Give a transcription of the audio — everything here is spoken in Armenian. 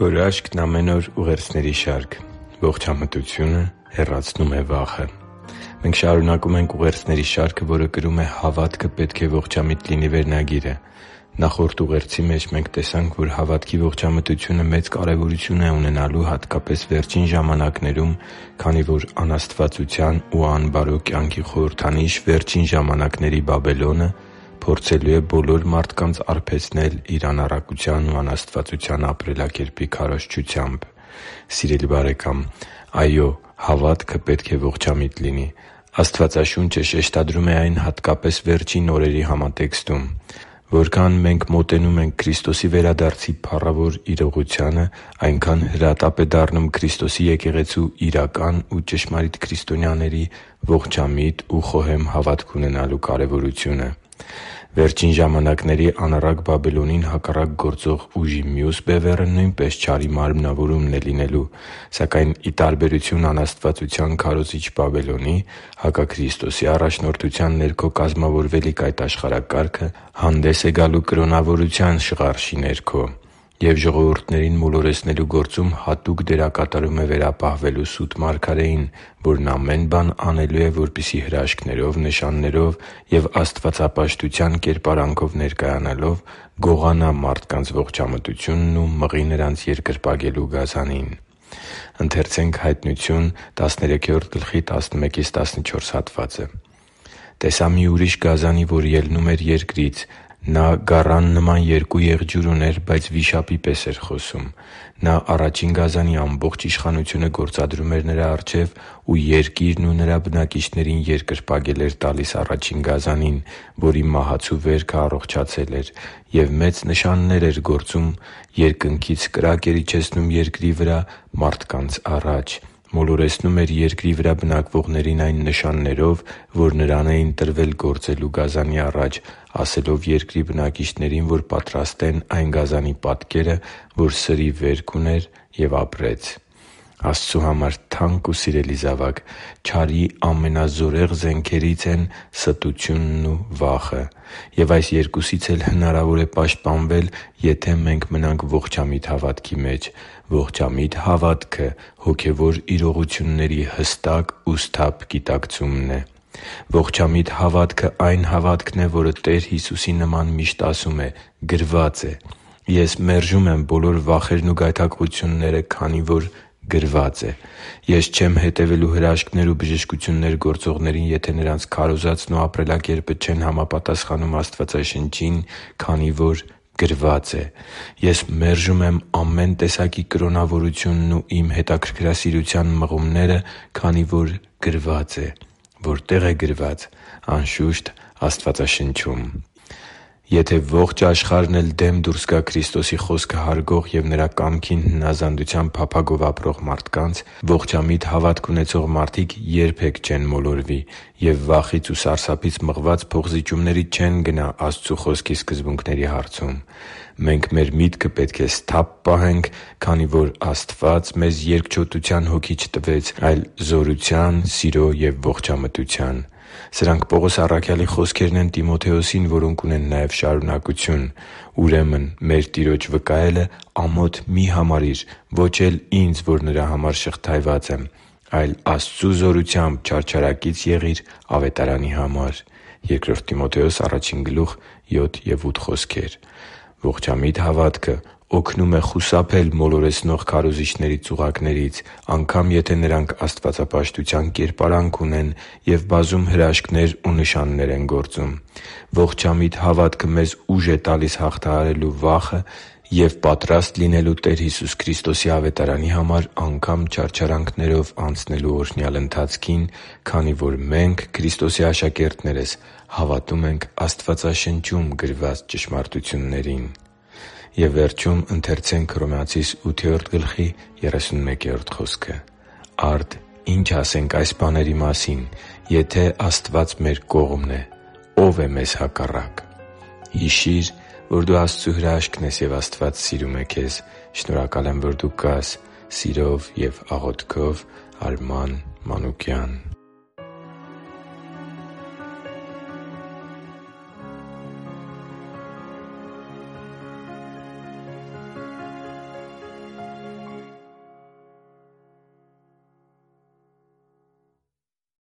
Գորաշկն ամեն օր ուղերձների շարք։ Ողջամտությունը հեռացնում է վախը։ Մենք շարունակում ենք ուղերձների շարքը, որը կրում է «Հավատքը պետք է ողջամիտ լինի» վերնագիրը։ Նախորդ ուղերձի մեջ մենք տեսանք, որ հավատքի ողջամտությունը մեծ կարևորություն է ունենալու հատկապես վերջին ժամանակներում, քանի որ անաստվածության ու անբարո կյանքի խորհրդանիշ վերջին ժամանակների Բաբելոնը փորձելու է բոլոր մարդկանց արբեցնել իր անառակության ու անաստվածության ապրելակերպի քարոզչությամբ։ Սիրելի՛ բարեկամ, այո՛, հավատքը պետք է ողջամիտ լինի։ Աստվածաշունչը շեշտադրում է այն հատկապես վերջին օրերի համատեքստում։ Որքան մենք մոտենում ենք Քրիստոսի վերադարձի փառավոր իրողությանը, այնքան հրատապ է դառնում Քրիստոսի եկեղեցու իրական ու ճշմարիտ քրիստոնյաների ողջամիտ ու խոհեմ հավատք ունենալու կարևորությունը։ Վերջին ժամանակների անառակ Բաբելոնին հակառակ գործող ուժի մյուս բևեռը նույնպես չարի մարմնավորումն է լինելու։ Սակայն, ի տարբերություն անաստվածության քարոզիչ Բաբելոնի, հակաքրիստոսի առաջնորդության ներքո կազմավորվելիք այդ աշխարհակարգը հանդես է գալու կրոնավորության շղարշի ներքո և ժողովուրդներին մոլորեցնելու գործում հատուկ դերակատարում է վերապահվելու սուտ մարգարեին, որն ամեն բան անելու է, որպեսզի հրաշքներով, նշաններով և աստվածապաշտության կերպարանքով ներկայանալով գողանա մարդկանց ողջամտությունն ու մղի նրանց երկրպագելու գազանին։ «Տեսա մի ուրիշ գազանի, որ ելնում էր երկրից. նա գառան նման երկու եղջյուր ուներ, բայց վիշապի պես էր խոսում։ Նա առաջին գազանի ամբողջ իշխանությունը գործադրում էր նրա առջև ու երկիրն ու նրա բնակիչներին երկրպագել էր տալիս առաջին գազանին, որի մահացու վերքը առողջացել էր, և մեծ նշաններ էր գործում, երկնքից կրակ էր իջեցնում երկրի վրա մարդկանց առաջ, մոլորեցնում էր երկրի վրա բնակվողներին այն նշաններով, որ նրան էին տրվել գործելու գազանի առաջ, ասելով երկրի բնակիչներին, որ պատրաստեն այն գազանի պատկերը, որ սրի վերք ուներ, և ապրեց» (Հայտնություն 13:11-14)։ Աստծու համար թանկ ու սիրելի՛ զավակ, չարի ամենազորեղ զենքերից են ստությունն ու վախը։ Եվ այս երկուսից էլ հնարավոր է պաշտպանվել, եթե մենք մնանք ողջամիտ հավատքի մեջ։ Ողջամիտ հավատքը հոգևոր իրողությունների հստակ ու սթափ գիտակցումն է։ Ողջամիտ հավատքը այն հավատքն է, որը Տեր Հիսուսի նման միշտ ասում է. «Գրվա՛ծ է»։ Ես մերժում եմ բոլոր վախերն ու գայթակղությունները, քանի որ գրվա՛ծ է։ Ես չեմ հետևելու հրաշքներ ու բժշկություններ գործողներին, եթե նրանց քարոզածն ու ապրելակերպը չեն համապատասխանում Աստվածաշնչին, քանի որ գրվա՛ծ է։ Ես մերժում եմ ամեն տեսակի կրոնավորությունն ու իմ հետաքրքրասիրության մղումները, քանի որ գրվա՛ծ է։ Որտե՞ղ է գրված։ Անշուշտ, Աստվածաշնչում։ Եթե ողջ աշխարհն էլ դեմ դուրս գա Քրիստոսի խոսքը հարգող և Նրա կամքին հնազանդության փափագով ապրող մարդկանց, ողջամիտ հավատք ունեցող մարդիկ երբե՛ք չեն մոլորվի և վախից ու սարսափից մղված փոխզիջումների չեն գնա Աստծու Խոսքի սկզբունքների հարցում։ Մենք մեր միտքը պետք է սթափ պահենք, քանի որ Աստված մեզ երկչոտության հոգի չտվեց, այլ զորության, սիրո և ողջամտության։ Սրանք Պողոս առաքյալի խոսքերն են Տիմոթեոսին, որոնք ունեն նաև շարունակություն. «Ուրեմն մեր Տիրոջ վկայելը ամոթ մի համարիր, ոչ էլ ինձ, որ նրա համար շղթայված եմ, այլ Աստծու զորությամբ չարչարակից եղիր Ավետարանի համար» (Բ Տիմոթեոս 1:7-8)։ Ողջամիտ հավատքը օգնում է խուսափել մոլորեցնող քարոզիչների ծուղակներից, անգամ եթե նրանք աստվածապաշտության կերպարանք ունեն և բազում հրաշքներ ու նշաններ են գործում։ Ողջամիտ հավատքը մեզ ուժ է տալիս հաղթահարելու վախը և պատրաստ լինելու Տեր Հիսուս Քրիստոսի Ավետարանի համար անգամ չարչարանքներով անցնելու օրհնյալ ընթացքին, քանի որ մենք՝ Քրիստոսի աշակերտներս, հավատում ենք Աստվածաշնչում գրված ճշմարտություններին։ «Արդ ի՞նչ ասենք այս բաների մասին. եթե Աստված մեր կողմն է, ո՞վ է մեզ հակառակ» (Հռոմեացիս 8․31)։ Հիշի՛ր, որ դու Աստծո հրաշքն ես, և Աստված սիրում է քեզ։ Շնորհակալ եմ, որ դու կա՛ս։ Սիրով և աղոթքով, Արման Մանուկյան։